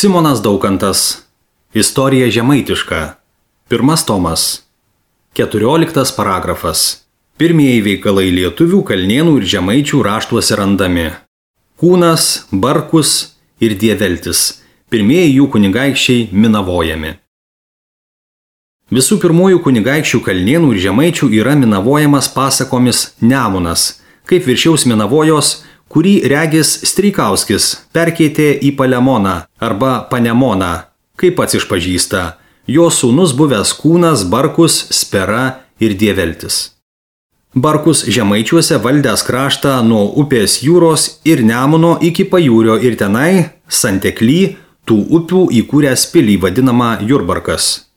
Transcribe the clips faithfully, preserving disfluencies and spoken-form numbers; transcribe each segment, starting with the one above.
Simonas Daukantas. Istorija žemaitiška. Pirmas tomas. Keturioliktas paragrafas. Pirmieji veikalai lietuvių, kalnėnų ir žemaičių raštuose randami. Kūnas, Barkus ir Dieveltis. Pirmieji jų kunigaikščiai minavojami. Visų pirmųjų kunigaikščių kalnėnų ir žemaičių yra minavojamas pasakomis Nemunas, kaip viršiaus minavojos, kurį regis Streikauskis perkeitė į Palemoną arba Panemoną, kaip pats išpažįsta, jo sūnus buvęs Kūnas, Barkus, Spera ir Dieveltis. Barkus žemaičiuose valdęs kraštą nuo upės jūros ir Nemuno iki Pajūrio ir tenai, Santekly, tų upių įkūręs pilį vadinamą Jurbarkas.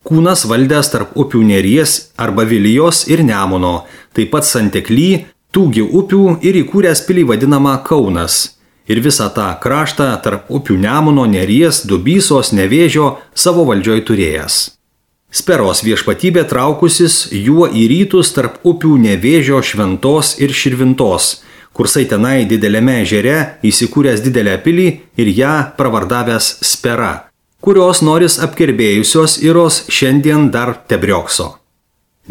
Kūnas valdęs tarp upių Neries arba Vilijos ir Nemuno, taip pat Santekly, tūgi upių ir įkūręs pilį vadinamą Kaunas. Ir visą tą kraštą tarp upių Nemuno, Neries, Dubysos, Nevėžio savo valdžioj turėjęs. Speros viešpatybė traukusis juo į rytus tarp upių Nevėžio, Šventos ir Širvintos, kursai tenai dideliame ežere įsikūręs didelę pilį ir ją pravardavęs Spera, kurios noris apkerbėjusios iros šiandien dar tebriokso.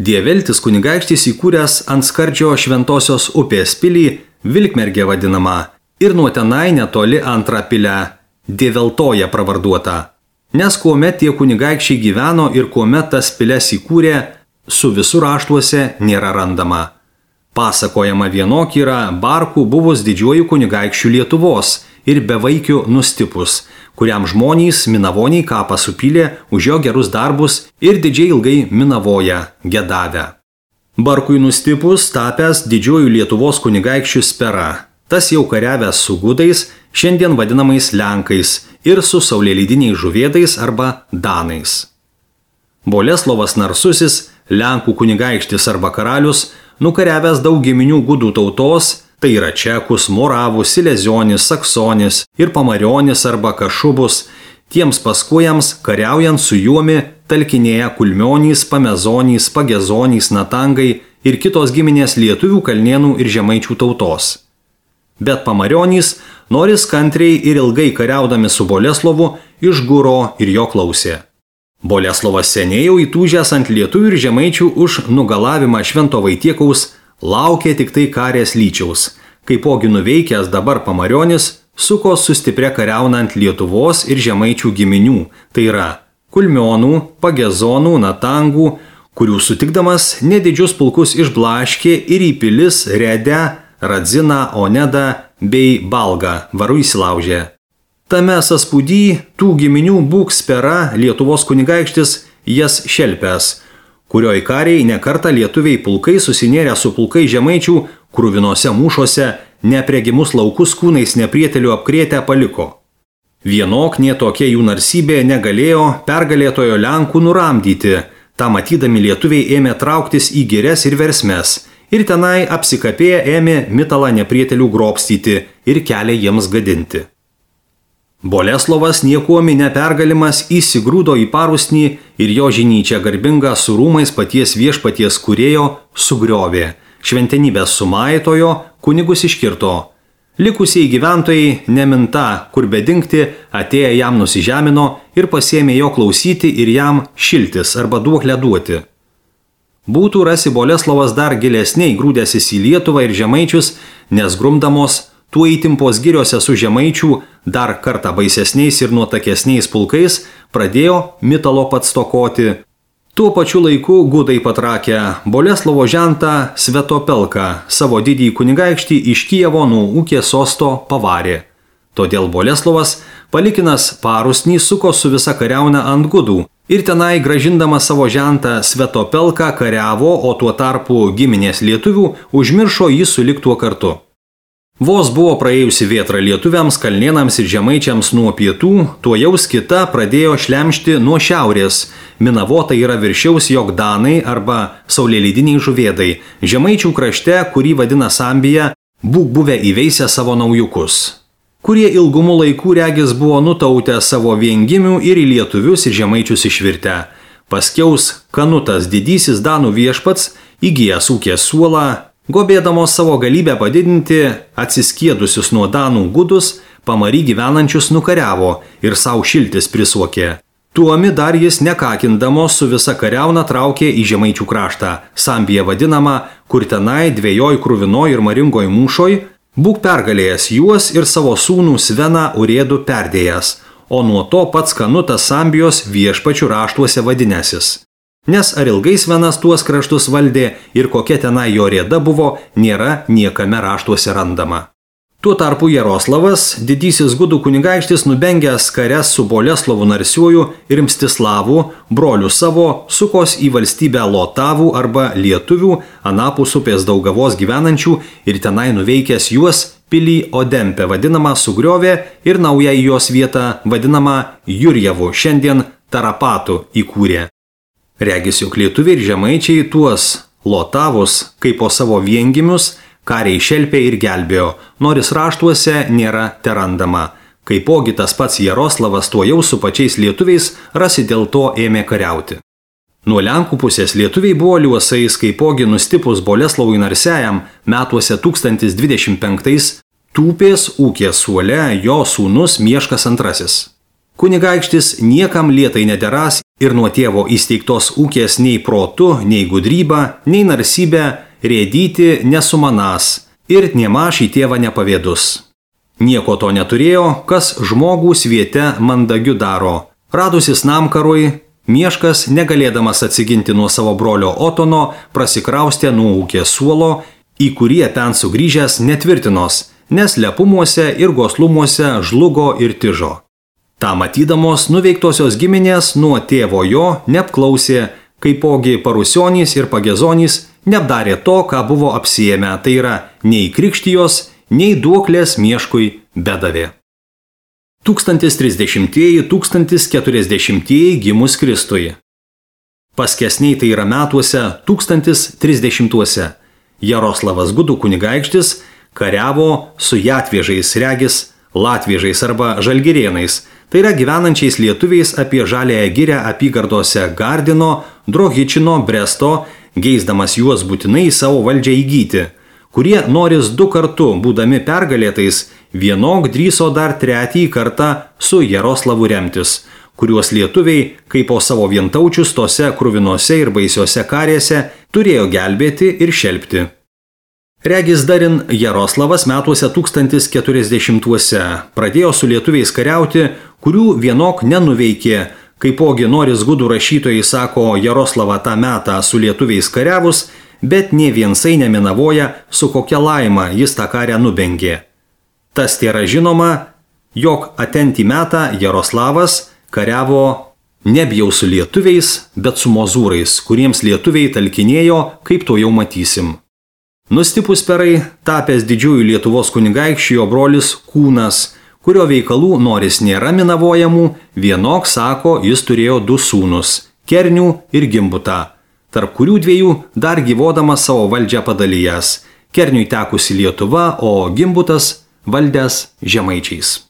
Dieveltis kunigaikštis įkūręs ant skardžio Šventosios upės pilį, Vilkmergė vadinama, ir nuo tenai netoli antrą pilę, Dieveltoje pravarduota, nes kuomet tie kunigaikščiai gyveno ir kuomet tas piles įkūrė, su visur raštuose nėra randama. Pasakojama vienok yra Barkų buvus didžiuoju kunigaikščių Lietuvos ir bevaikiu Nustipus, kuriam žmonės minavoniai kapą supylė už jo gerus darbus ir didžiai ilgai minavoja, gedavę. Barkui Nustipus tapęs didžiuoju Lietuvos kunigaikščių Spera, tas jau kariavęs su gudais, šiandien vadinamais Lenkais ir su saulėlydiniais žuvėdais arba Danais. Boleslovas Narsusis, Lenkų kunigaikštis arba karalius, nukariavęs daug giminių gudų tautos, tai yra Čekus, Moravus, Silezionis, Saksonis ir Pamarionis arba Kašubus, tiems paskujams, kariaujant su juomi, talkinėja Kulmionys, Pamezonys, Pagezonys, Natangai ir kitos giminės lietuvių, kalnėnų ir žemaičių tautos. Bet Pamarionys, noris kantriai ir ilgai kariaudami su Boleslovu, išguro ir jo klausė. Boleslovas seniai jau įtūžęs ant lietuvių ir žemaičių už nugalavimą Švento Vaitiekaus, laukė tik tai karės lyčiaus, kaipogi nuveikęs dabar Pamarionis, suko su stipria kariaunant Lietuvos ir žemaičių giminių, tai yra Kulmionų, Pagezonų, Natangų, kurių sutikdamas nedidžius pulkus išblaškė ir į pilis Redę, Radziną, Onedą bei Balgą varu įsilaužė. Tame sąspūdy tų giminių būk Spera, Lietuvos kunigaikštis, jas šelpęs, kurioj kariai nekartą lietuviai pulkai susinėrę su pulkai žemaičių kruvinose mūšose nepregimus laukus kūnais neprietelių apkrėtę paliko. Vienok nie tokia jų narsybė negalėjo pergalėtojo Lenkų nuramdyti, tą matydami lietuviai ėmė trauktis į girias ir versmes ir tenai apsikapėję ėmė mitalą neprietelių grobstyti ir kelią jiems gadinti. Boleslovas niekuomi nepergalimas įsigrūdo į parusnį ir jo žinyčia garbinga su rūmais paties viešpaties kūrėjo sugriovė, šventenybės sumaitojo, kunigus iškirto. Likusiai gyventojai neminta, kur bedingti, atėję jam nusižemino ir pasėmė jo klausyti ir jam šiltis arba duoklę duoti. Būtų rasi Boleslovas dar gilesniai grūdęsis į Lietuvą ir žemaičius, nes grumdamos tuo įtimpos giriuose su žemaičių dar kartą baisesniais ir nuotakesniais pulkais pradėjo mitalo pats stokoti. Tuo pačiu laiku gudai patrakę Boleslovo žentą Svetopelką, savo didįjį kunigaikštį iš Kijevo nuo ūkės sosto pavarė. Todėl Boleslovas, palikinas parusnį, suko su visa kariauna ant gudų ir tenai gražindamas savo žentą Svetopelką kariavo, o tuo tarpu giminės lietuvių užmiršo jį sulig tuo kartu. Vos buvo praėjusi vėtra lietuviams, kalnėnams ir žemaičiams nuo pietų, tuo jaus kita pradėjo šlemšti nuo šiaurės. Minavota yra viršiaus jog Danai arba saulėlydiniai žuvėdai, žemaičių krašte, kurį vadina Sambija, būk buvę įveisę savo naujukus, kurie ilgumu laikų regis buvo nutautę savo viengimių ir į lietuvius ir žemaičius išvirtę. Paskiaus Kanutas didysis Danų viešpats, įgijęs ūkės suolą, gobėdamos savo galybę padidinti, atsiskiedusius nuo Danų gudus, pamary gyvenančius nukariavo ir savo šiltis prisuokė. Tuomi dar jis nekakindamos su visa kariauna traukė į Žemaičių kraštą, Sambija vadinama, kur tenai dviejoj krūvinoj ir maringoj mūšoj, būk pergalėjęs juos ir savo sūnų Sveną urėdų perdėjęs, o nuo to pats Kanutas Sambijos viešpačių raštuose vadinęsis. Nes ar ilgai Svenas tuos kraštus valdė ir kokia tenai jo rėda buvo, nėra niekame raštuose randama. Tuo tarpu Jaroslavas, didysis gudų kunigaikštis, nubengęs kares su Boleslovu Narsiuoju ir Mstislavu, broliu savo, sukos į valstybę Lotavų arba lietuvių, anapus upės Daugavos gyvenančių ir tenai nuveikęs juos pilį Odempę vadinamą sugriovė ir naują į jos vietą vadinamą Jurjevu, šiandien Tarapatu įkūrė. Regis jog lietuviai ir žemaičiai tuos Lotavus, kaip po savo viengimius, kariai šelpė ir gelbėjo, nors raštuose nėra terandama. Kaipogi tas pats Jaroslavas tuo jau su pačiais lietuviais rasi dėl to ėmė kariauti. Nuo Lenkų pusės lietuviai buvo liuosais, kaipogi nustipus Boleslovui Narsiajam metuose tūkstantis dvidešimt penktais tūpės ūkės suole jo sūnus Mieškas antrasis. Kunigaikštis niekam lietai nederas ir nuo tėvo įsteigtos ūkės nei protu, nei gudryba, nei narsybė rėdyti nesumanas ir niemaž į tėvą nepavėdus. Nieko to neturėjo, kas žmogų sviete mandagiu daro. Radusis namkarui, Mieškas, negalėdamas atsiginti nuo savo brolio Otono, prasikraustė nuo ūkės suolo, į kurį ten sugrįžęs netvirtinos, nes lepumuose ir goslumuose žlugo ir tižo. Ta matydamos nuveiktosios giminės nuo tėvo jo neapklausė, kaipogi Parusionys ir Pagezonys neapdarė to, ką buvo apsiėmę, tai yra nei krikštijos, nei duoklės Mieškui bedavė. tūkstantis trisdešimtieji - tūkstantis keturiasdešimtieji gimus Kristui. Paskesniai tai yra metuose tūkstantis trisdešimtuose. Jaroslavas gudų kunigaikštis kariavo su jatviežais, regis latviežais arba žalgirėnais, tai yra gyvenančiais lietuviais apie Žaliąją girią apygardose Gardino, Drohičino, Bresto, geisdamas juos būtinai savo valdžią įgyti, kurie noris du kartu, būdami pergalėtais, vienok drįso dar tretį kartą su Jaroslavu remtis, kuriuos lietuviai, kaip po savo vientaučius tose kruvinose ir baisiose karėse, turėjo gelbėti ir šelpti. Regis darin Jaroslavas metuose tūkstantis keturiasdešimtuose pradėjo su lietuviais kariauti, kurių vienok nenuveikė, kaipogi noris gudų rašytojai sako Jaroslavą tą metą su lietuviais kariavus, bet nė viensai neminavoja, su kokia laima jis tą karę nubengė. Tas tėra žinoma, jog atentį metą Jaroslavas kariavo nebijau su lietuviais, bet su mozūrais, kuriems lietuviai talkinėjo, kaip to jau matysim. Nustipus perai, tapęs didžiųjų Lietuvos kunigaikščių jo brolis Kūnas, kurio veikalų noris nėra minavojamų, vienok sako, jis turėjo du sūnus – Kernių ir Gimbutą, tarp kurių dviejų dar gyvodamas savo valdžią padalijęs. Kerniui tekusi Lietuva, o Gimbutas valdęs žemaičiais.